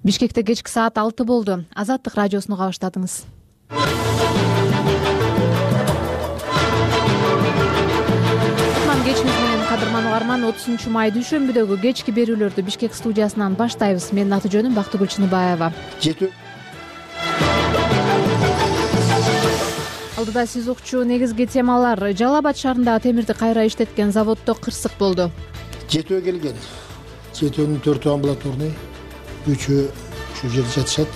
Бишкекте кечки саат 6 болду. Азаттык радиосуну баштадыңыз. Кечиңиз менен кадырман угарман, 30 май дүйшөмбүдөгү кечки берүүлөрдү Бишкек студиясынан баштайбыз. Менин аты жөнүм Бактыгүл Чыныбаева. Алдыда сиз укчу негизги темалар. Жалал Абад шаарындагы темирди кайра иштеткен заводдо кырсык болду. Жетөө келген. Жетөөнүн 4-ü амбулаторный, 3-ü ушу жерде жатышат.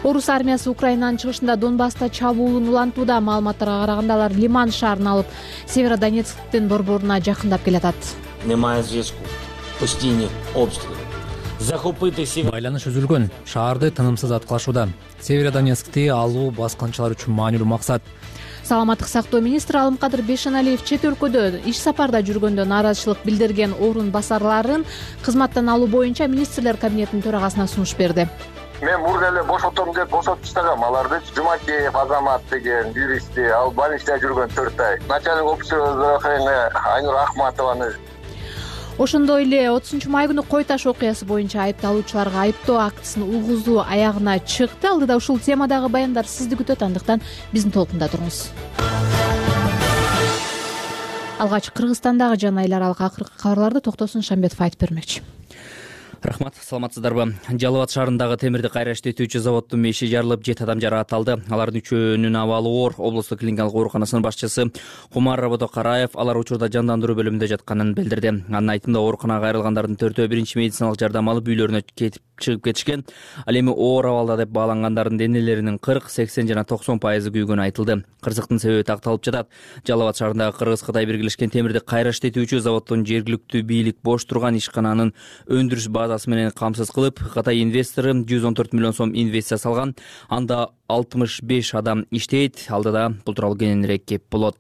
Орус армиясы Украинанын чыгышында Донбасста чабуулун улантууда. Маалыматтарга караганда алар Лиман шаарын алып, Северодонецктин борборуна жакындап келатат. Немає зв'язку. Постійні обстріли. Захопити Байланыш үзүлгөн. Шаарды тынымсыз аткылашууда. Северодонецкти алуу баскынчылар үчүн маанилүү максат. Саламаттык сактоо министри Алымкадыр Бешеналиев чет өлкөдө иш сапарда жүргөндө нааразычылык билдирген орун басарларын кызматтан алуу боюнча министрлер кабинетинин төрагасына сунуш берди. Мен мурда эле бошотом деп бошотуп таштагам аларды. Жумакеев Азамат деген юристти, ал больницада жүргөн 4 ай. Начальник офицер Айнур Ахматованы. Ошондой эле 30 май күнү Кой Таш окуясы боюнча айыпталуучуларга айыптоо актысын угузуу аягына чыкты. Алдыда ушул темадагы баяндар сизди күтөт, андыктан биздин толкунда туруңуз. Алгач Кыргызстандагы жана эл аралык акыркы кабарларды Токтосун Шамбетов айтып бермекчи. Рахмат, саламатсыздарбы? Жалал Абад шаарындагы темирди кайра иштетүүчү заводдун меши жарылып, 7 адам жаракат алды. Алардын 3-үнүн абалы оор. Облустук клиникалык ооруканасынын башчысы Кумар Рабодокараев алар учурда жандандыруу бөлүмүндө жатканын билдирди. Анын айтымында ооруканага кайрылгандардын 4-өө биринчи медициналык жардам алып үйлөрүнө чыгып кетишкен. Ал эми оор абалда деп баалангандардын денелеринин 40, 80 жана 90% күйгөнү айтылды. Кырсыктын себеби такталып жатат. Жалал Абад шаарындагы Кыргыз-Кытай биргелешкен темирди кайра иштетүүчү заводдун жергиликтүү бийлик бош турган ишкананын өндүрүш базасы менен камсыз кылып, Кытай инвестору 114 миллион сом инвестиция салган. Анда 65 адам иштейт. Алдыда бул тууралуу кененирээк кеп болот.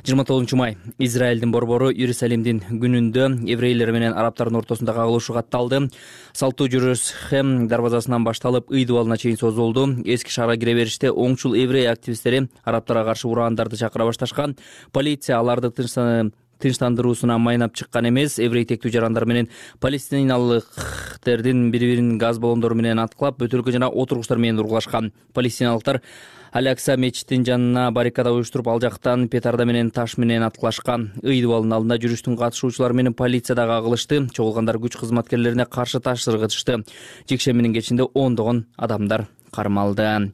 29 май Израилдин борбору Иерусалимдин күнүндө еврейлер менен арабтардын ортосунда кагылышы катталды. Салтуу жүрүш Хэм дарбазасынан башталып, ый дубалына чейин созулду. Эски шаарга кире бериште оңчул еврей активисттери арабтарга каршы ураандарды чакыра башташкан. Полиция аларды тынчтандыруусуна майнап чыккан эмес. Еврей тектүү жарандар менен палестиналыктардын бири-бирин газ баллондору менен аткылап, бөтөлкө жана отургучтар менен ургулашкан. Палестиналыктар Алякса мечитинин жанына баррикада уюштуруп, ал жактан петарда менен таш менен аткылашкан. Ый дубалынын алдында жүрүштүн катышуучулары менен полиция дагы агылышты. Чогулгандар күч кызматкерлерине каршы таш сыргытышты. Жекшембинин кечинде ондогон адамдар кармалды.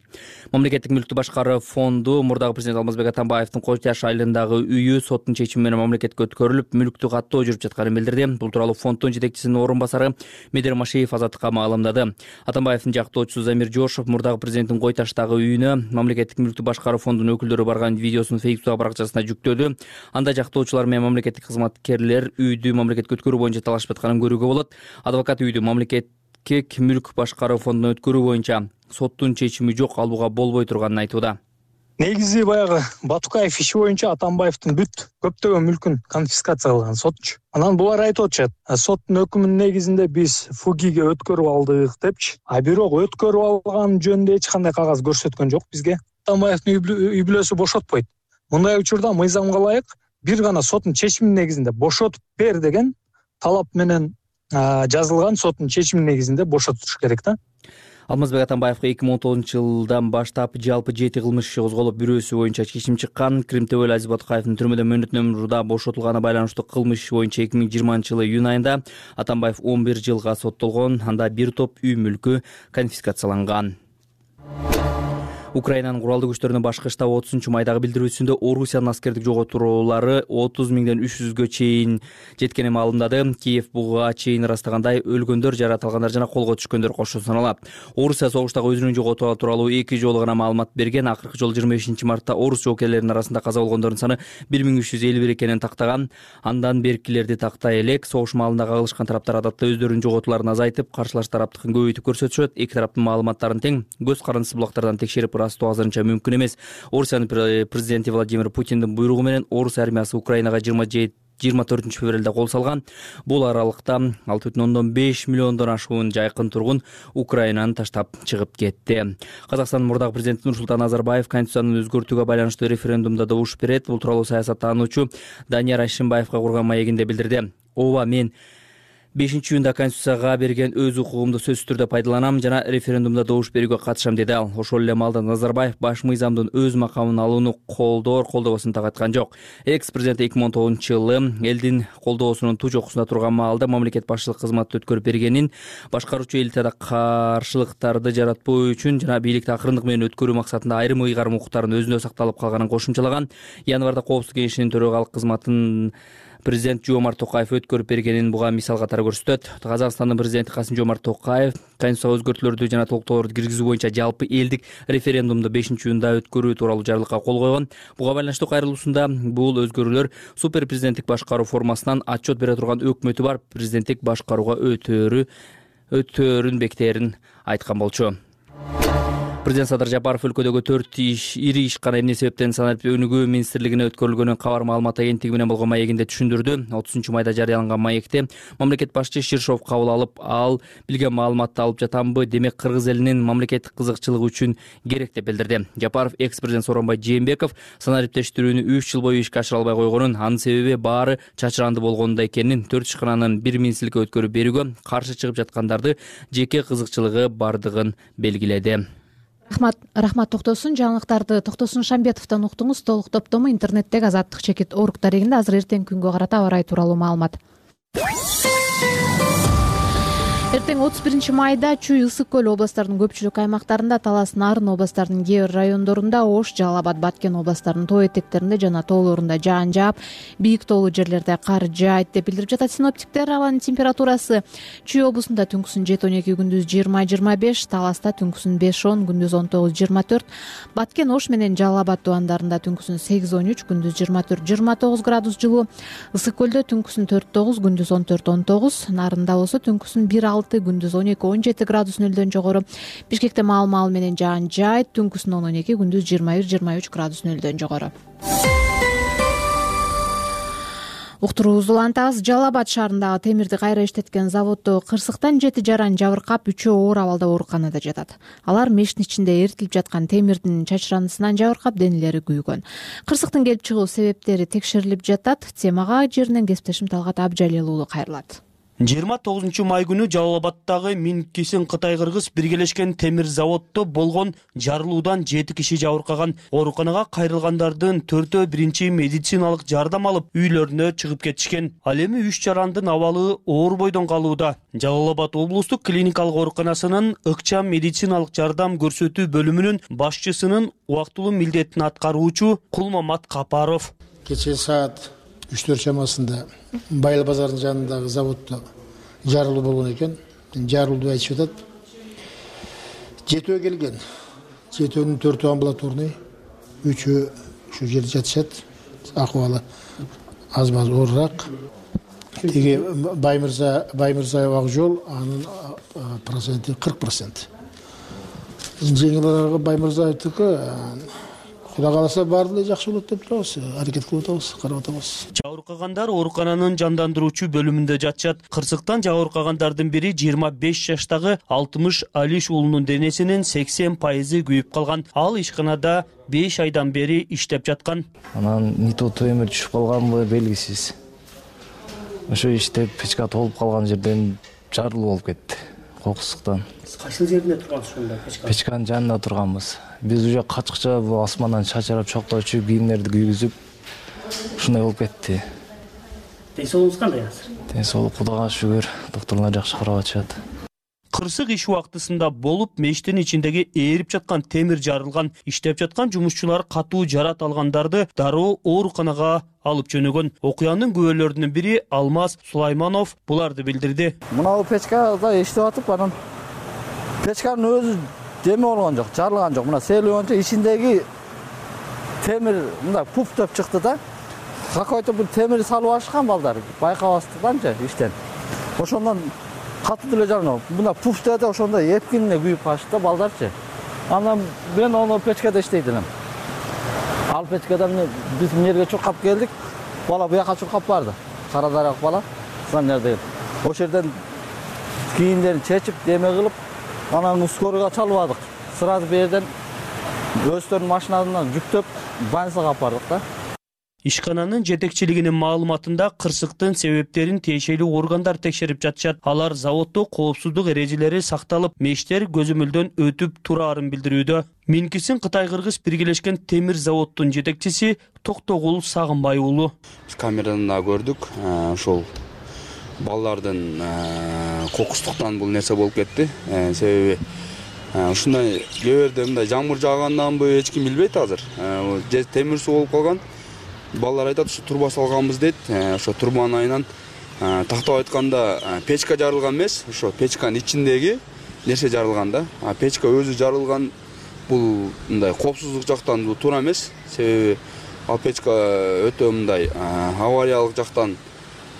Мамлекеттик мүлктү башкаруу фонду мурдагы президент Алмазбек Атамбаевдин Кой Таш айылындагы үйү соттун чечими менен мамлекетке өткөрүлүп, мүлктү каттоо жүрүп жатканын билдирди. Бул тууралуу фонддун жетекчисинин орун басары Медер Машиев Азаттыкка маалымдады. Атамбаевдин жактоочусу Замир Жошов мурдагы президенттин Кой Таштагы үйүнө мамлекеттик мүлктү башкаруу фондунун өкүлдөрү барган видеосун Facebook баракчасына жүктөдү. Анда жактоочулар менен мамлекеттик кызматкерлер үйдү мамлекетке өткөрүү боюнча талашып атканын көрүүгө болот. Адвокат үйдү мамлекеттик мүлк башкаруу фондуна өткөрүү боюнча соттун чечими жок, алууга болбой турганын айтууда. Негизи баягы Батукаев иши боюнча Атамбаевдин көптөгөн мүлкүн конфискация кылган сотчу. Анан булар айтып атышат, соттун өкүмүнүн негизинде биз ФУГИге өткөрүп алдык депчи. Бирок өткөрүп алган жөнүндө эч кандай кагаз көрсөткөн жок бизге. Атамбаевдин үй бүлөсү бошотпойт. Мындай учурда мыйзамга ылайык бир гана соттун чечиминин негизинде бошотуп бер деген талап менен жазылган соттун чечиминин негизинде бошотуш керек да. Алмазбек Атамбаевга 2019-жылдан баштап жалпы 7 кылмыш иши козголуп, бирөөсү боюнча чечим чыккан. Кримтөбөл Азиз Батукаевдин түрмөдө мөөнөттүү мурда бошотулганына байланыштуу кылмыш иши боюнча 2020-жылы июнь айында Атамбаев 11 жылга соттолгон. Анда бир топ үй мүлкү конфискацияланган. Украинанын куралдуу күчтөрүнүн башкы штабы 30 майдагы билдирүүсүндө Орусиянын аскердик жоготуулары 30 миңден 300гө чейин жеткени маалымдады. Киев буга чейин ырастагандай өлгөндөр, жаратылгандар жана колго түшкөндөр кошо саналат. Орусия согуштагы өзүнүн жоготуулары тууралуу 2 жолу гана маалымат берген. Акыркы жолу 25-мартта орус жоокерлеринин арасында каза болгондордун саны 1351 экенин тактаган. Андан беркилерди тактай элек. Согуш маалында кагылышкан тараптар адатта өздөрүнүн жоготууларын азайтып, каршылаш тараптыкын көбөйтүп көрсөтүшөт. Эки тараптын маалыматтарын тең көз карандысы булактардан текшерип растоо азырынча мүмкүн эмес. Орусиянын президенти Владимир Путиндин буйругу менен Орус армиясы Украинага 24-февралда кол салган. Бул аралыкта 6,5 миллиондон ашуун жайкын тургун Украинаны таштап чыгып кетти. Казакстандын мурдагы президенти Нурсултан Назарбаев конституцияны өзгөртүүгө байланыштуу референдумда добуш берет. Бул тууралуу саясаттануучу Данияр Ашимбаевга курган маегинде билдирди. Ооба, мен 5-июнда Конституцияга берген өз укугумду сөзсүз түрдө пайдаланам жана референдумда добуш берүүгө катышам деди ал. Ошол эле маалда Назарбаев баш мыйзамдын өз макамын алууну колдобосун так айткан жок. Экс-президент 2010-жылы элдин колдоосунун туу жокусунда турган маалда мамлекет башчылык кызматты өткөрүп бергенин, башкаруучу элитада каршылыктарды жаратпоо үчүн жана бийликти акырындык менен өткөрүү максатында айрым ыйгарым укуктардын өзүндө сакталып калганын кошумчалаган. Январда Коопсуздук кеңешинин төрагалык кызматын президент Жомарт Токаев өткөрүп бергенин буга мисал катары көрсөтөт. Казакстандын президенти Касым-Жомарт Токаев Конституцияга өзгөртүүлөрдү жана толуктоолорду киргизүү боюнча жалпы элдик референдумду 5-июнда өткөрүү тууралуу жарлыкка кол койгон. Буга байланыштуу кайрылуусунда бул өзгөрүүлөр супер президенттик башкаруу формасынан отчет бере турган өкмөтү бар президенттик башкарууга өтөөрүн бектерин айткан болчу. Президент Садыр Жапаров өлкөдөгү 4 ири ишкана эмне себептен санарип өнүгүү министрлигине өткөрүлгөнүн кабар маалымат агенттиги менен болгон маегинде түшүндүрдү. 30-майда жарыяланган маекте мамлекет башчы Ширшов кабыл алып, ал билген маалыматты алып жатамбы, демек кыргыз элинин мамлекеттик кызыкчылыгы үчүн керек деп билдирди. Жапаров экс-президент Сооронбай Жээнбеков санариптештирүүнү 3 жыл бою ишке ашыра албай койгонун, анын себеби баары чачыранды болгонунда экенин, 4 ишкананын бир министрликке өткөрүп берүүгө каршы чыгып жаткандарды жеке кызыкчылыгы бардыгын белгиледи. Рахмат токтосун. Жаңылыктарды Токтосун Шамбетовдон уктуңуз. Толук топтому интернеттеги Азаттык чекит орг дарегинде. Азыр эртеңки күнгө карата аба ырайы тууралуу маалымат. Эртең 31 майда Чүй, Ысык көл областарынын көпчүлүк аймактарында, Талас, Нарын областарынын кээ бир райондорунда, Ош, Жалал Абад, Баткен областарынын тоо этектеринде жана тоолорунда жаан жаап, бийик тоолуу жерлерде кар жаайт деп билдирип жатат синоптиктер. Абанын температурасы Чүй облусунда түнкүсүн 7-12, күндүз 20-25, Таласта түнкүсүн 5-10, күндүз 19-24, Баткен, Ош менен Жалал Абад тубандарында түнкүсүн 8-13, күндүз 24-29 градус жылуу, Ысык көлдө түнкүсүн 4-9, күндүз 14-19, Нарында болсо түнкүсүн 1-6, күндүз 12-17 градус нөлдөн жогору. Бишкекте маал менен жаан жаайт, түнкүсүн 10-12, күндүз 21-23 градус нөлдөн жогору. Уктуруубузду улантабыз. Жалал Абад шаарындагы темирди кайра иштеткен заводдо кырсыктан 7 жаран жабыркап, 3-өө оор абалда ооруканада жатат. Алар мештин ичинде эритилип жаткан темирдин чачырандысынан жабыркап, денелери күйгөн. Кырсыктын келип чыгуу себептери текшерилип жатат. Темага жеринен кесиптешим Талгат Абжалил уулу кайрылат. 29-май күнү Жалал Абадтагы Минкисин Кытай-кыргыз биргелешкен темир заводдо болгон жарылуудан 7 киши жабыркаган. Ооруканага кайрылгандардын 4-өө биринчи медициналык жардам алып, үйлөрүнө чыгып кетишкен. Ал эми 3 жарандын абалы оор бойдон калууда. Жалал Абад облустук клиникалык ооруканасынын ыкчам медициналык жардам көрсөтүү бөлүмүнүн башчысынын убактылуу милдетин аткаруучу Кулмамат Капаров. Кечээ саат 3-4 чамасында Байыл базарынын жанындагы заводдо жарылуу болгон экен. Жарылууду айтышып атат. 7 келген. 7-нүн 4 амбулаторный, 3 ушу жерде жатышат. Акыбалы аз-маз оорураак. Тиги Баймырзаев Акжол, анын проценти 40%. Жеңилирээги Баймырзаевдики Кудай кааласа баары эле жакшы болот деп турабыз, аракет кылып атабыз, карап атабыз. Жабыркагандар оорукананын жандандыруучу бөлүмүндө жатышат. Кырсыктан жабыркагандардын бири 25 жаштагы 60 Алиш уулунун денесинин 80% күйүп калган. Ал ишканада 5 айдан бери иштеп жаткан. Анан нито темир түшүп калганбы белгисиз. Ошо иштеп печка толуп калган жерден жарылуу болуп кетти. Кокусуктан. Кайсы жеринде тургансыз ошондо печка? Печканын жанында турганбыз. Биз уже качкыча бул асмандан чачырап чокточу кийимдерди күйгүзүп ушундай болуп кетти. Ден соолугуңуз кандай азыр? Ден соолук Кудайга шүгүр, докторлор жакшы карап атышат. Кырсык иш убактысында болуп, мештин ичиндеги ээрип жаткан темир жарылган. Иштеп жаткан жумушчулар катуу жарат алгандарды дароо ооруканага алып жөнөгөн. Окуянын күбөлөрүнүн бири Алмаз Сулайманов буларды билдирди. Мына печкада иштеп атып, анан печканын өзү деме болгон жок, жарылган жок. Мына сейлөөнчө ичиндеги темир мындай пуф деп чыкты да. Какой-то бир темир салып ашкан балдар, байкабастыктанчы иштен. Ошондон катуу деле жарылган. Мына пуф деди, ошондо эпкинине күйүп калышты да балдарчы. Анан мен ону печкада иштейт элем. Ал печкадан биз жерге чуркап келдик. Бала буяка чуркап барды. Кара дарак бала. Сан жерде. Ошол жерден кийимдерин чечип, деме кылып, анан скорыйга чалбадык. Сразу бу жерден өздөрүнүн машиналарынан жүктөп больницага алып бардык да. Ишкананын жетекчилигинин маалыматында кырсыктын себептерин тиешелүү органдар текшерип жатышат. Алар заводдо коопсуздук эрежелери сакталып, мештер көзөмөлдөн өтүп турарын билдирүүдө. Минкисин Кытай-Кыргыз биргелешкен темир заводдун жетекчиси Токтогул Сагынбай уулу. Биз камерадан да көрдүк, ошол балдардын кокустуктан бул нерсе болуп кетти. Себеби ушундай кээ бирде мындай жамгыр жааганданбы эч ким билбейт азыр. Темир суу болуп калган. Балдар айтат, ушу труба салганбыз дейт. Ошо трубанын айынан тактап айтканда печка жарылган эмес, ошо печканын ичиндеги нерсе жарылган да. Печка өзү жарылган. Бул мындай коопсуздук жактан бул туура эмес. Себеби ал печка өтө мындай авариялык жактан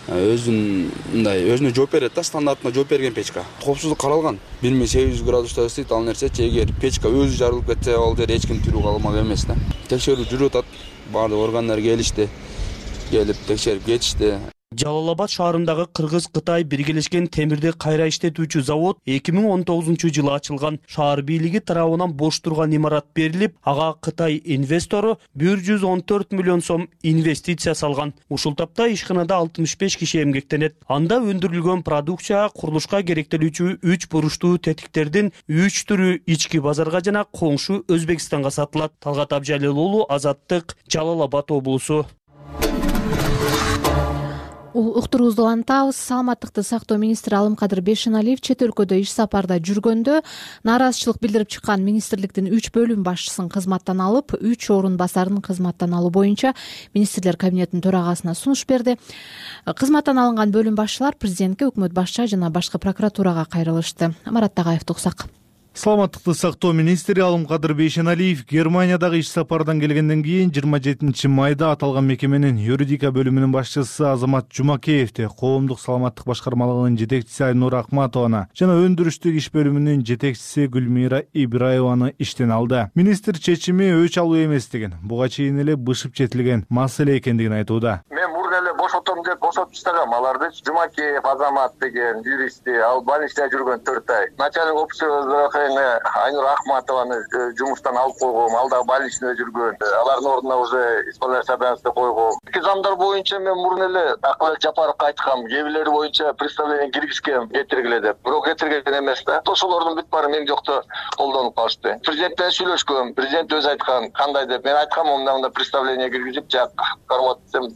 өзүнө жооп берет да, стандартына жооп берген печка. Коопсуздук каралган. 1800 градуста иштейт ал нерсе. Эгер печка өзү жарылып кетсе, ал жерде эч ким тирүү калмак эмес да. Текшерүү жүрүп атат. Баардык органдар келишти. Келип текшерип кетишти. Жалал-Абад шаарындагы Кыргыз-Кытай биргелешкен темирди кайра иштетүүчү завод 2019-жылы ачылган. Шаар бийлиги тарабынан бош турган имарат берилип, ага Кытай инвестору 114 миллион сом инвестиция салган. Ушул тапта ишканада 65 киши эмгектенет. Анда өндүрүлгөн продукция курулушка керектелүүчү 3 буруштуу тетиктердин 3 түрү ички базарга жана коңшу Өзбекстанга сатылат. Талгат Абжалил уулу, Азаттык, Жалал-Абад облусу. Уктуруубузду улантабыз. Саламаттыкты сактоо министри Алымкадыр Бейшеналиев чет өлкөдө иш сапарда жүргөндө нааразычылык билдирип чыккан министрликтин 3 бөлүм башчысын кызматтан алып, 3 орун басарын кызматтан алуу боюнча министрлер кабинетинин төрагасына сунуш берди. Кызматтан алынган бөлүм башчылар президентке, өкмөт башчы жана башкы прокуратурага кайрылышты. Марат Тагаевди уксак. Саламаттыкты сактоо министри Алымкадыр Бейшеналиев Германиядагы иш сапардан келгенден кийин 27 майда аталган мекеменин юридика бөлүмүнүн башчысы Азамат Жумакеевди, коомдук саламаттык башкармалыгынын жетекчиси Айнура Акматованы жана өндүрүштүк иш бөлүмүнүн жетекчиси Гүлмира Ибраеваны иштен алды. Министр чечими өч алуу эместигин, буга чейин эле бышып жетилген маселе экендигин айтууда. Мен мурда эле бошотом деп бошотуп таштагам аларды. Жумакеев Азамат деген юристти, ал больницада жүргөн 4 ай. Начальник опусу Айнура Ахматованы жумуштан алып койгом, ал дагы больничныйда жүргөн. Алардын ордуна уже исполняющий обязанности койгом. Эки замдар боюнча мен мурун эле Акылбек Жапаровго айткам, кээ бирлери боюнча представление киргизгем, кетиргиле деп. Бирок кетирген эмес да. Ошолордун бүт баары мен жокто колдонуп калышты. Президент менен сүйлөшкөм, президент өзү айткан, кандай деп. Мен айткам, мындай представление киргизип, жак карматсам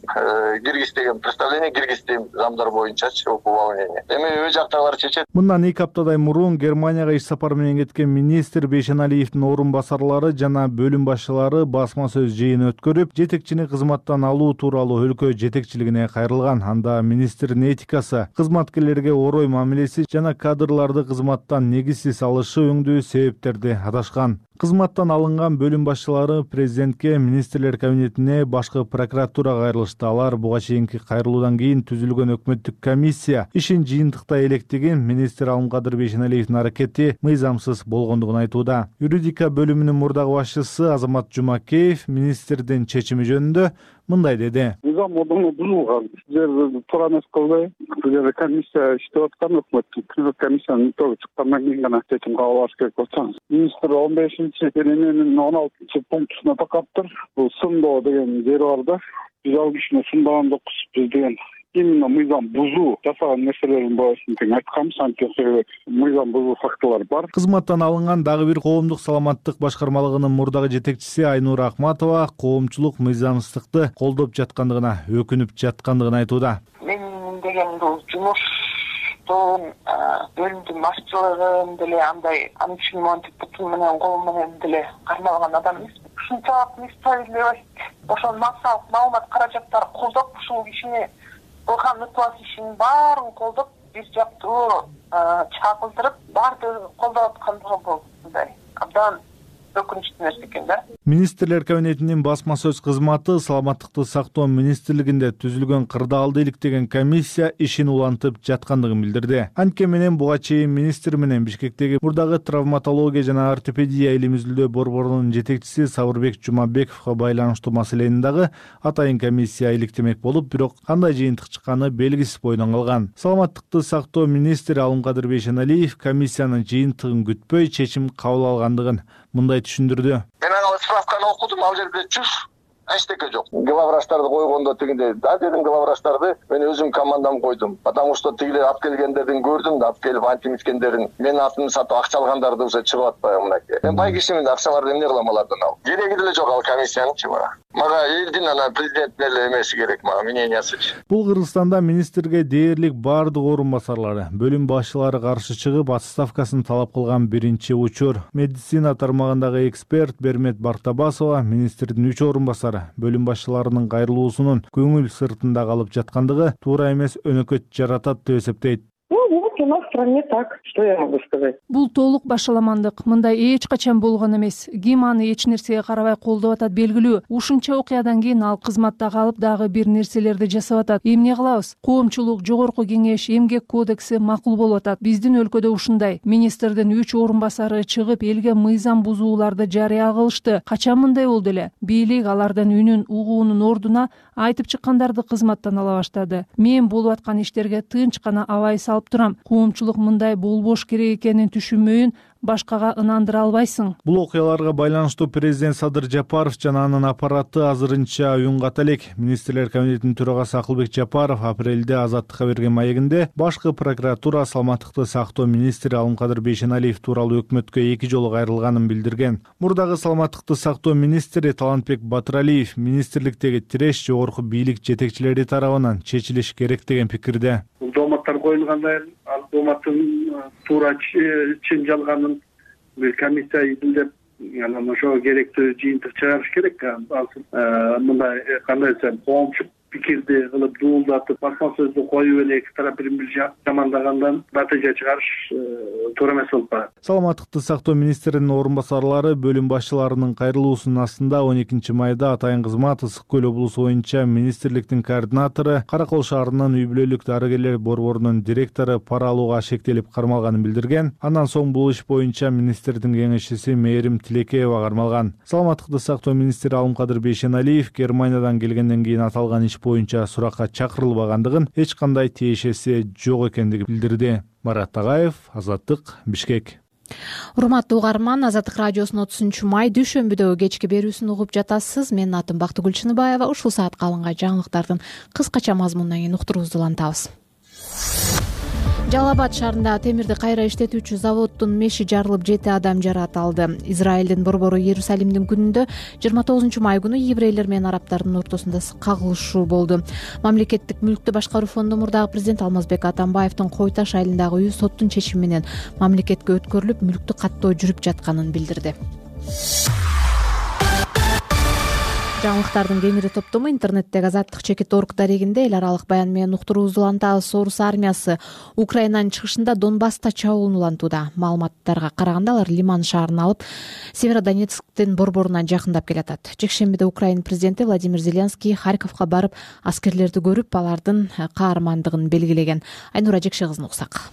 киргиз деген представление киргиздим замдар боюнчачы уполномочение. Эми өз жактагылар чечет. Мындан 2 аптадай мурун Германияга иш сапар менен кеткен министр Бейшеналиевдин орун басарлары жана бөлүм башчылары басма сөз жыйын өткөрүп, жетекчини кызматтан алуу тууралуу өлкө жетекчилигине кайрылган. Анда министрдин этикасы, кызматкерлерге орой мамилеси жана кадрларды кызматтан негизсиз алышы өңдүү себептерди адашкан. Кызматтан алынган бөлүм башчылары президентке, министрлер кабинетине, башкы прокуратурага кайрылышты. Алар буга чейинки кайрылуудан кийин түзүлгөн өкмөттүк комиссия ишин жыйынтыктай электеген, министр Алымкадыр Бейшеналиевдин аракети мыйзамсыз болгондугун айтууда. Юридика бөлүмүнүн мурдагы башчысы Азамат Жумакеев министрдин чечими жөнүндө мындай деди. Мыйзам ордуну бузулган. Сиздер туура эмес кылбай, бул комиссия иштеп аткан, өкмөттүк комиссиянын итоги чыккандан кийин гана чечим кабыл алыш керек болсоңуз. Министр 15-дененин 16-пунктуна такаптыр. Бул сындоо деген жери бар да. Биз ал кишини сындаган жокпуз. Биз деген именно мыйзам бузуу жасаган нерселердин баарын тең айтканбыз, анткени мыйзам бузуу фактылар бар. Кызматтан алынган дагы бир коомдук саламаттык башкармалыгынын мурдагы жетекчиси Айнура Акматова коомчулук мыйзамсыздыкты колдоп жаткандыгына, өкүнүп жаткандыгын айтууда. Мен деген бул жумуштун бөлүмдүн башчылыгын деле андай анчмонтип бутун менен кол менен деле кармалган адам эмес. Ушунчалык несправедливость, ошол массалык маалымат каражаттары колдоп, ушул кишини кылган ыктыбас ишинин баарын колдоп, бир жактуу чагылдырып, баардыгын колдоп аткандыгы бул мындай абдан өкүнүчтүү нерсе экен да. Министрлер кабинетинин басма сөз кызматы саламаттыкты сактоо министрлигинде түзүлгөн кырдаалды иликтеген комиссия ишин улантып жаткандыгын билдирди. Анткени менен буга чейин министр менен Бишкектеги мурдагы травматология жана ортопедия илим изилдөө борборунун жетекчиси Сабырбек Жумабековго байланыштуу маселени дагы атайын комиссия иликтемек болуп, бирок кандай жыйынтык чыкканы белгисиз бойдон калган. Саламаттыкты сактоо министри Алымкадыр Бейшеналиев комиссиянын жыйынтыгын күтпөй чечим кабыл алгандыгын мындай түшүндүрдү. Мен ага справканы окудум, ал жерде 100 эчтеке жок. Главврачтарды койгондо тигинде да дедим, главврачтарды мен өзүм командам койдум. Потому что тигилер алып келгендердин көрдүм да, алып келип антимиткендерин, менин атымды сатып акча алгандарды уже чыгып атпайбы мынакей. Мен бай кишимин, акчаларды эмне кылам алардан алып. Кереги деле жок ал комиссиянычы бара. Мага элдин анан президенттин эле эмеси керек, мага мнениясычы. Бул Кыргызстанда министрге дээрлик бардык орун басарлары, бөлүм башчылары каршы чыгып отставкасын талап кылган биринчи учур. Медицина тармагындагы эксперт Бермет Бартабасова министрдин 3 орун басары бөлүм башчыларынын кайрылуусунун көңүл сыртында калып жаткандыгы туура эмес өнөкөт жаратат деп эсептейт. Вот у нас в стране так, что я могу сказать. Бул толук башаламандык. Мындай эч качан болгон эмес. Ким аны эч нерсеге карабай колдоп атат белгилүү. Ушунча окуядан кийин ал кызматта калып дагы бир нерселерди жасап атат. Эмне кылабыз? Коомчулук, жогорку кеңеш, эмгек кодекси макул болуп атат. Биздин өлкөдө ушундай. Министрдин 3 орун басары чыгып элге мыйзам бузууларды жарыя кылышты. Качан мындай болду эле? Бийлик алардан үнүн угуунун ордуна айтып чыккандарды кызматтан ала баштады. Мен болуп аткан иштерге тынч гана абай салып турам. Коомчулук мындай болбош керек экенин түшүнбөйүн башкага ынандыра албайсың. Бул окуяларга байланыштуу президент Садыр Жапаров жана анын аппараты азырынча уюнгата элек. Министрлер комитетинин төрагасы Акылбек Жапаров апрелде Азаттыкка берген маегинде башкы прокуратура саламаттыкты сактоо министри Алымкадыр Бейшеналиев тууралуу өкмөткө 2 жолу кайрылганын билдирген. Мурдагы саламаттыкты сактоо министри Талантбек Батыралиев министрликтеги тиреш жогорку бийлик жетекчилери тарабынан чечилиш керек деген пикирде. Бул дооматтар коюлгандан кийин ал дооматтын туура чын жалганын бир комиссия изилдеп, анан ошого керектүү жыйынтык чыгарыш керек. Мындай кандай десем, коомчу пикирди кылып дуулдатып, басма сөздү коюп эле эки тарап бири-бири жамандагандан натыйжа чыгарыш туура эмес болуп калат. Саламаттыкты сактоо министринин орун басарлары бөлүм башчыларынын кайрылуусунун астында 12 майда Атайын кызмат Ысык Көл облусу боюнча министрликтин координатору, Каракол шаарынын үй бүлөлүк дарыгерлер борборунун директору пара алууга шектелип кармалганын билдирген. Андан соң бул иш боюнча министрдин кеңешчиси Мээрим Тилекеева кармалган. Саламаттыкты сактоо министри Алымкадыр Бейшеналиев Германиядан келгенден кийин аталган иш боюнча суракка чакырылбагандыгын, эч кандай тиешеси жок экендигин билдирди. Марат Тагаев, Азаттык, Бишкек. Урматтуу угарман, Азаттык радиосунун 30 май дүйшөмбүдөгү кечки берүүсүн угуп жатасыз. Менин атым Бактыгүл Чыныбаева. Ушул саатка алынган жаңылыктардын кыскача мазмунунан кийин уктуруубузду улантабыз. Жалал Абад шаарындагы темирди кайра иштетүүчү заводдун меши жарылып 7 адам жаракат алды. Израилдин борбору Иерусалимдин күнүндө 29 май күнү еврейлер менен арабтардын ортосунда кагылышуу болду. Мамлекеттик мүлктү башкаруу фонду мурдагы президент Алмазбек Атамбаевдин Кой Таш айылындагы үйү соттун чечими менен мамлекетке өткөрүлүп, мүлктү каттоо жүрүп жатканын билдирди. Жаңылыктардын кеңири топтому интернеттеги Азаттык.org дарегинде эл аралык баян менен уктуруубузду улантабыз. Орус армиясы Украинанын чыгышында Донбасста чабуулун улантууда. Маалыматтарга караганда алар Лиман шаарын алып, Северодонецктин борборуна жакындап келатат. Жекшембиде Украина президенти Владимир Зеленский Харьковго барып, аскерлерди көрүп, алардын каармандыгын белгилеген. Айнура Жекше кызын уксак.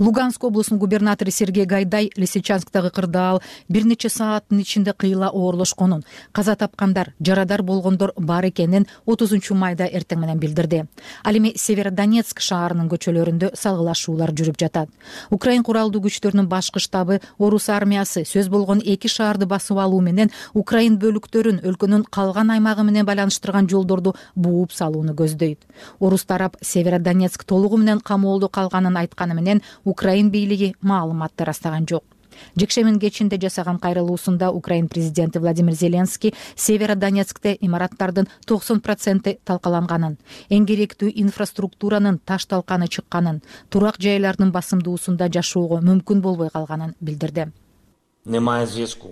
Луганск облусунун губернатору Сергей Гайдай Лисичанскдагы кырдаал бир нече сааттын ичинде кыйла оорлошконун, каза тапкандар, жарадар болгондор бар экенин 30 майда эртең менен билдирди. Ал эми Северодонецк шаарынын көчөлөрүндө салгылашуулар жүрүп жатат. Украин куралдуу күчтөрүнүн башкы штабы Орус армиясы сөз болгон 2 шаарды басып алуу менен Украин бөлүктөрүн өлкөнүн калган аймагы менен байланыштырган жолдорду бууп салууну көздөйт. Орус тарап Северодонецк толугу менен камоолдо калганын айтканы менен Украин бийлиги маалыматты ырастаган жок. Жекшембинин кечинде жасаган кайрылуусунда Украин президенти Владимир Зеленский Северодонецкте имараттардын 90% талкаланганын, эң керектүү инфраструктуранын таш талканы чыкканын, турак жайлардын басымдуусунда жашоого мүмкүн болбой калганын билдирди. Немає зв'язку.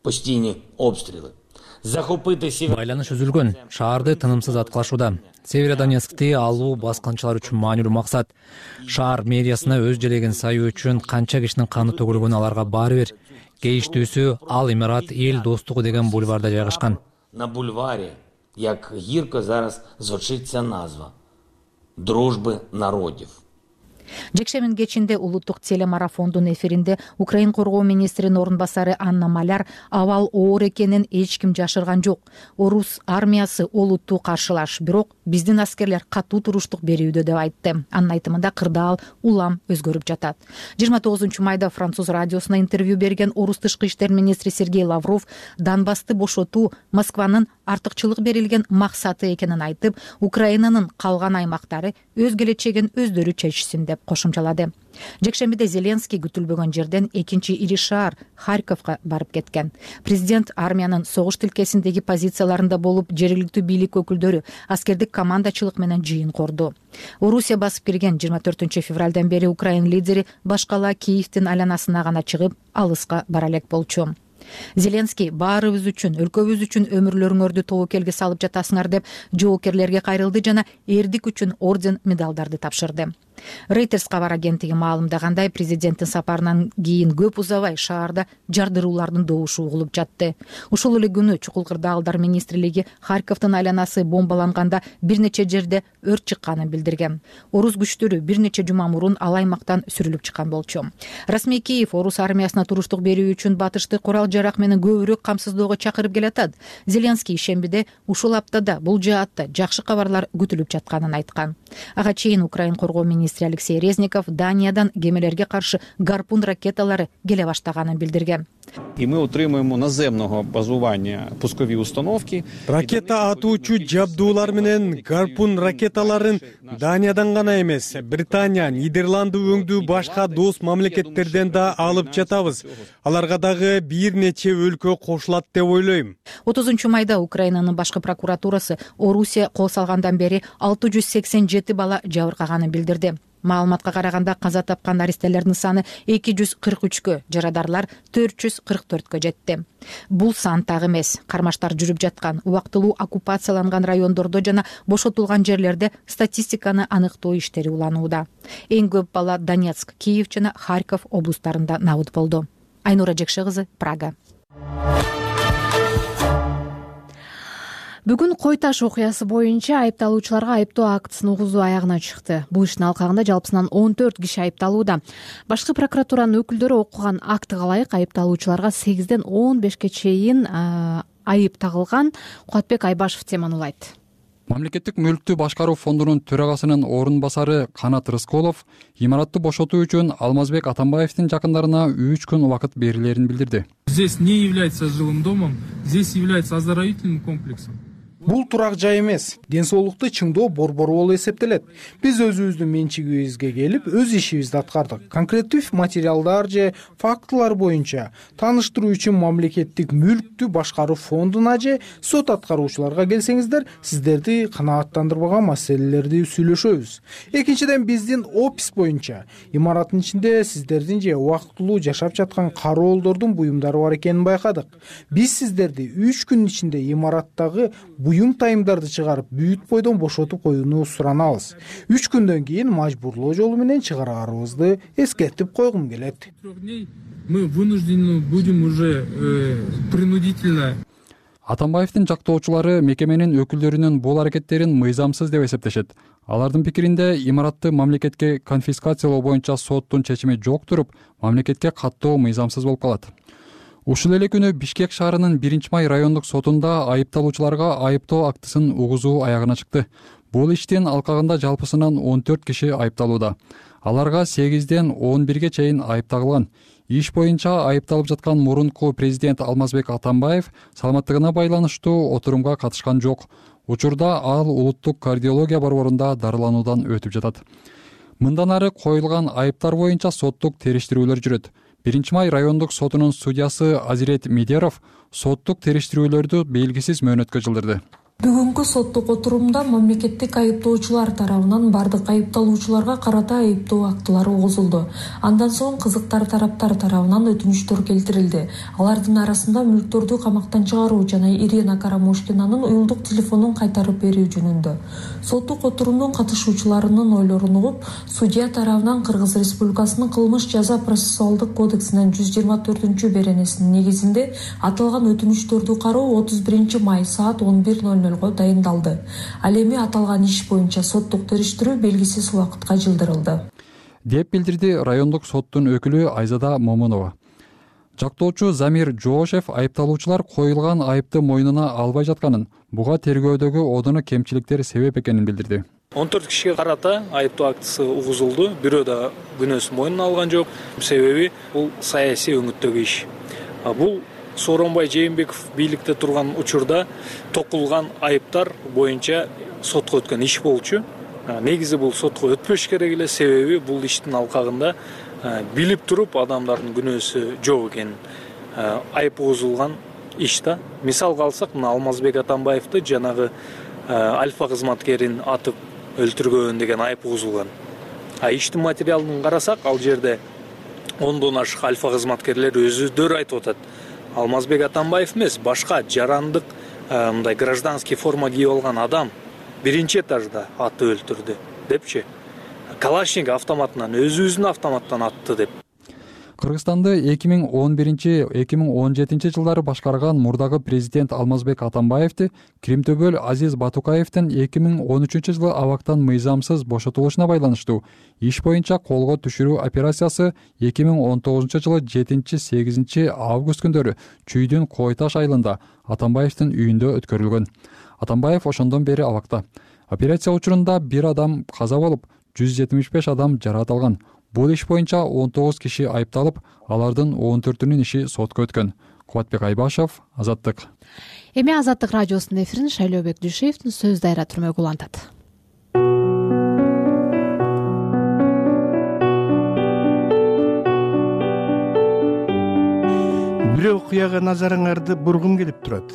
Постійні обстріли. Байланыш үзүлгөн. Шаарды тынымсыз аткылашууда. Северодонецкти алуу баскынчылар үчүн маанилүү максат. Шаар мэриясына өз желеген саюу үчүн канча кишинин каны төгүлгөнү аларга баары бир. Кейиштүүсү ал имарат эл достугу деген бульварда жайгашкан. На бульварі, як гірко зараз звучить ця назва. Дружби народів. Жекшембинин кечинде улуттук телемарафондун эфиринде Украин коргоо министринин орун басары Анна Маляр абал оор экенин эч ким жашырган жок. Орус армиясы олуттуу каршылаш, бирок биздин аскерлер катуу туруштук берүүдө деп айтты. Анын айтымында кырдаал улам өзгөрүп жатат. 29 майда француз радиосуна интервью берген орус тышкы иштер министри Сергей Лавров Донбассты бошотуу Москванын артыкчылык берилген максаты экенин айтып, Украинанын калган аймактары өз келечегин өздөрү чечсин деп кошумчалады. Жекшембиде Зеленский күтүлбөгөн жерден экинчи ири шаар Харьковго барып кеткен. Президент армиянын согуш тилкесиндеги позицияларында болуп, жергиликтүү бийлик өкүлдөрү аскердик командачылык менен жыйын корду. Орусия басып кирген 24 февралдан бери Украин лидери башкала Киевдин айланасына гана чыгып, алыска бара элек болчу. Зеленский баарыбыз үчүн, өлкөбүз үчүн өмүрлөрүңөрдү тобокелге салып жатасыңар деп жоокерлерге кайрылды жана эрдик үчүн орден медалдарды тапшырды. Reuters кабар агенттиги маалымдагандай, президенттин сапарынан кийин көп узабай шаарда жардыруулардын добушу угулуп жатты. Ушул эле күнү Чукул кырдаалдар министрлиги Харьковдун айланасы бомбаланганда бир нече жерде өрт чыкканын билдирген. Орус күчтөрү бир нече жума мурун ал аймактан сүрүлүп чыккан болчу. Расмий Киев орус армиясына туруштук берүү үчүн батышты курал жарак менен көбүрөөк камсыздоого чакырып келатат. Зеленский ишембиде ушул аптада бул жаатта жакшы кабарлар күтүлүп жатканын айткан. Ага чейин Украин коргоо министри Алексей Резников Даниядан кемелерге каршы гарпун ракеталары келе баштаганын билдирген. І ми отримуємо наземного базування пускові установки. Ракета атуучу жабдуулар менен гарпун ракеталарын Даниядан гана эмес, Британия, Нидерланды өңдүү башка дос мамлекеттерден да алып жатабыз. Аларга дагы бир нече өлкө кошулат деп ойлойм. 30 майда Украинанын башкы прокуратурасы Орусия кол салгандан бери 687 бала жабыркаганын билдирди. Маалыматка караганда каза тапкан наристелердин саны 243кө, жарадарлар 444кө жетти. Бул сан так эмес. Кармаштар жүрүп жаткан, убактылуу оккупацияланган райондордо жана бошотулган жерлерде статистиканы аныктоо иштери уланууда. Эң көп бала Донецк, Киев жана Харьков облустарында набыт болду. Айнура Жекше кызы, Прага. Бүгүн Кой Таш окуясы боюнча айыпталуучуларга айыптоо актысын угузуу аягына чыкты. Бул иштин алкагында жалпысынан 14 киши айыпталууда. Башкы прокуратуранын өкүлдөрү окуган актыга ылайык айыпталуучуларга 8ден 15ге чейин айып тагылган. Кубатбек Айбашев теманы улайт. Мамлекеттик мүлктү башкаруу фондунун төрагасынын орун басары Канат Рысколов имаратты бошотуу үчүн Алмазбек Атамбаевдин жакындарына 3 күн убакыт берилерин билдирди. Здесь не является жилым домом, здесь является оздоровительным комплексом. Бул турак жай эмес, ден соолукту чыңдоо борбору болуп эсептелет. Биз өзүбүздүн менчигибизге келип, өз ишибизди аткардык. Конкреттүү материалдар же фактылар боюнча тааныштыруу үчүн мамлекеттик мүлктү башкаруу фондуна же сот аткаруучуларга келсеңиздер, сиздерди канааттандырбаган маселелерди сүйлөшөбүз. Экинчиден, биздин опис боюнча имараттын ичинде сиздердин же убактылуу жашап жаткан кароолдордун буюмдары бар экенин байкадык. Биз сиздерди 3 күн ичинде имараттагы буюм тайымдарды чыгарып, бүт бойдон бошотуп коюуну суранабыз. 3 күндөн кийин мажбурлоо жолу менен чыгараарыбызды эскертип койгум келет. Мы вынуждены будем уже принудительно. Атамбаевдин жактоочулары мекеменин өкүлдөрүнүн бул аракеттерин мыйзамсыз деп эсептешет. Алардын пикиринде имаратты мамлекетке конфискациялоо боюнча соттун чечими жок туруп, мамлекетке каттоо мыйзамсыз болуп калат. Ушул эле күнү Бишкек шаарынын 1-май райондук сотунда айыпталуучуларга айыптоо актысын угузуу аягына чыкты. Бул иштин алкагында жалпысынан 14 киши айыпталууда. Аларга 8ден 11ге чейин айып тагылган. Иш боюнча айыпталып жаткан мурунку президент Алмазбек Атамбаев саламаттыгына байланыштуу отурумга катышкан жок. Учурда ал улуттук кардиология борборунда дарылануудан өтүп жатат. Мындан ары коюлган айыптар боюнча соттук териштирүүлөр жүрөт. 1-май райондук сотунун судьясы Азирет Медеров соттук териштирүүлөрдү белгисиз мөөнөткө жылдырды. Бүгүнкү соттук отурумда мамлекеттик айыптоочулар тарабынан бардык айыпталуучуларга карата айыптоо актылары угузулду. Андан соң кызыктар тараптар тарабынан өтүнүчтөр келтирилди. Алардын арасында мүлктөрдү камактан чыгаруу жана Ирина Карамушкинанын уюлдук телефонун кайтарып берүү жөнүндө. Соттук отурумдун катышуучуларынын ойлорун угуп, судья тарабынан Кыргыз Республикасынын кылмыш жаза процессуалдык кодексинин 124-беренесинин негизинде аталган өтүнүчтөрдү кароо 31-май саат 11:00 дайындалды. Ал эми аталган иш боюнча соттук териштирүү белгисиз убакытка жылдырылды. деп билдирди райондук соттун өкүлү Айзада Момунова. Жактоочу Замир Жоошев айыпталуучулар коюлган айыпты мойнуна албай жатканын, буга тергөөдөгү одоно кемчиликтер себеп экенин билдирди. 14 кишиге карата айыптоо актысы угузулду. Бирөө да күнөөсүн мойнуна алган жок. Себеби бул саясий өңүттөгү иш. Бул Сооронбай Жээнбеков бийликте турган учурда токулган айыптар боюнча сотко өткөн иш болчу. Негизи бул сотко өтпөш керек эле, себеби бул иштин алкагында билип туруп адамдардын күнөөсү жок экенин айып угузулган иш да. Мисалга алсак, мына Алмазбек Атамбаевди жанагы альфа кызматкерин атып өлтүргөн деген айып угузулган. Иштин материалын карасак, ал жерде 10дон ашык альфа кызматкерлер өзүлөрү айтып атат. Алмазбек Атамбаев эмес, башка жарандык мындай гражданский форма кийип алган адам биринчи этажда атып өлтүрдү депчи. Калашник автоматынан, өзүбүздүн автоматтан атты деп. Кыргызстанды 2011-2017 жылдары башкарган мурдагы президент Алмазбек Атамбаевди Кримтөбөл Азиз Батукаевдин 2013 жылы абактан мыйзамсыз бошотулушуна байланыштуу иш боюнча колго түшүрүү операциясы 2019 жылы 7-8 август күндөрү Чүйдүн Кой Таш айылында Атамбаевдин үйүндө өткөрүлгөн. Атамбаев ошондон бери абакта. Операция учурунда 1 адам каза болуп, 175 адам жаракат алган. Бул иш боюнча 19 киши айыпталып, алардын 14-үнүн иши сотко өткөн. Кубатбек Айбашев, Азаттык. Эми Азаттык радиосунун эфирин Шайлообек Дүйшеевдин сөз дайра түрмөгү улантат. Бир окуяга назарыңарды бургум келип турат.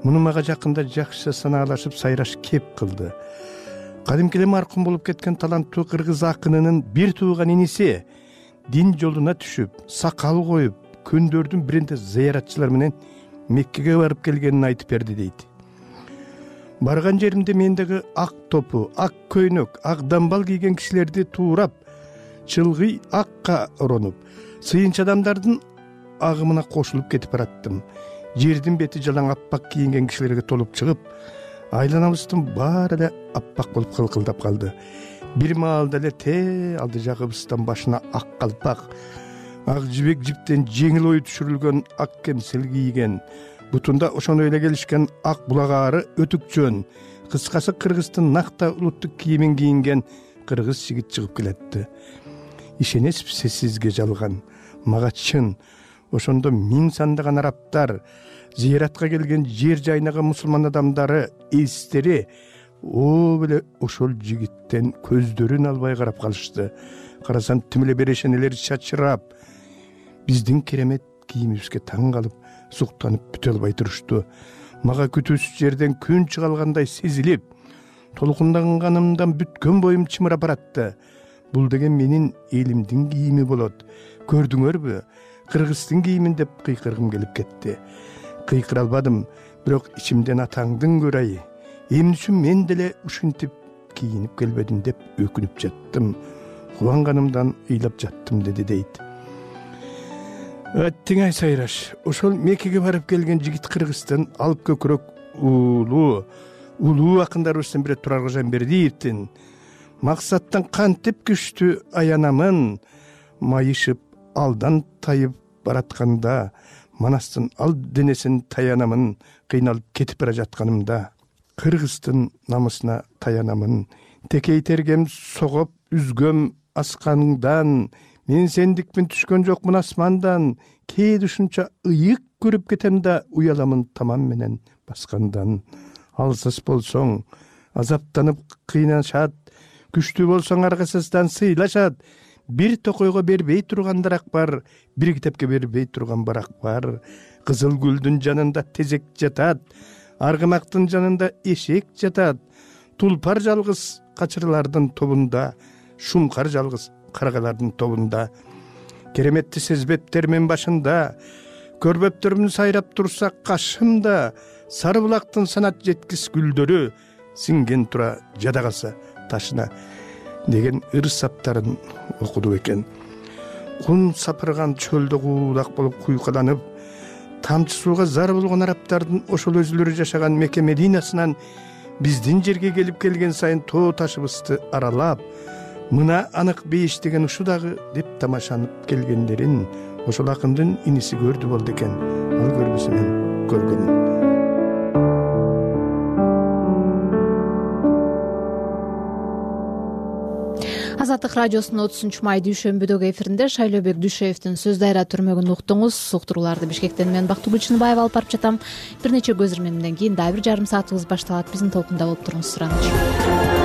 Муну мага жакында жакшы санаалашып сайраш кеп кылды. Кадимкиде маркум болуп кеткен таланттуу кыргыз акынынын бир тууган иниси дин жолуна түшүп, сакал коюп, күндөрдүн биринде зыяратчылар менен Меккеге барып келгенин айтып берди дейт. Барган жеримде мендеги ак топу, ак көйнөк, ак дамбал кийген кишилерди туурап, чылгый акка оронуп, сыйынча адамдардын агымына кошулуп кетип бараттым. Жердин бети жалаң аппак кийинген кишилерге толуп чыгып, айланабыздын баары эле аппак болуп кылкылдап калды. Бир маалда эле алды жагыбыздан башына ак калпак, ак жибек жиптен жеңил ою түшүрүлгөн ак кемсел кийген, бутунда ошону эле келишкен ак булагаары өтүкчөн, кыскасы кыргыздын накта улуттук кийимин кийинген кыргыз жигит чыгып келетти. Ишенесизби сизге жалган, мага чын. Ошондо миң сандаган арабтар, зыяратка келген жер жайнаган мусулман адамдары, эстери беле ошол жигиттен көздөрүн албай карап калышты. Карасам тим эле берешенелер чачырап, биздин керемет кийимибизге таң калып, суктанып бүтө албай турушту. Мага күтүүсүз жерден күн чыга алгандай сезилип, толкунданганымдан бүткөн боюм чымырап баратты. Бул деген менин элимдин кийими болот. Көрдүңөрбү? Кыргыздын кийимин деп кыйкыргым келип кетти. Кыйкыра албадым, бирок ичимден атаңдын көрайы. Эмне үчүн мен деле ушинтип кийинип келбедим деп өкүнүп жаттым. Кубанганымдан ыйлап жаттым деди дейт. Тиңай сайраш, ошол Меккеге барып келген жигит Кыргыздын алып көкүрөк улуу акындарыбыздын бири Турар Кожомбердиевдин максаттан кантип күчтүү аянамын, майышып алдан тайып баратканда, манастын ал денесин таянамын, кыйналып кетип бара жатканымда, Кыргыздын намысына таянамын, текей тергем согоп үзгөм асканыңдан, мен сендикмин түшкөн жокмун асмандан, кээде ушунча ыйык көрүп кетем да уяламын тамам менен баскандан. Алсыз болсоң азаптанып кыйнашат, күчтүү болсоң аргасыздан сыйлашат. Бир токойго бербей тургандарак бар, бир китепке бербей турган барак бар. Кызыл гүлдүн жанында тезек жатат, аргымактын жанында эшек жатат. Тулпар жалгыз качырлардын тобунда, шумкар жалгыз каргалардын тобунда. Кереметти сезбептермен башында, көрбөптөрүм сайрап турса кашымда. Сары булактын санат жеткис гүлдөрү сиңген тура жада калса ташына деген ыр саптарын окуду экен. Кун сапырган чөлдө куулак болуп куйкаланып, тамчы сууга зар болгон арабтардын ошол өзүлөрү жашаган Мекке Мединасынан биздин жерге келип келген сайын тоо ташыбызды аралап, мына анык бейиш деген ушу дагы деп тамашанып келгендерин ошол акындын иниси көрдү болду экен. Ал көрбөсө мен көргөнүм. Азаттык радиосунун 30 май дүйшөмбүдөгү эфиринде Шайлообек Дүйшөевдин Сөз дайра түрмөгүн уктуңуз. Уктурууларды Бишкектен мен Бактыгүл Чыныбаева алып барып жатам. Бир нече көз ирмемден кийин дагы бир жарым саатыбыз башталат. Биздин толкунда болуп туруңуз. Сураныч.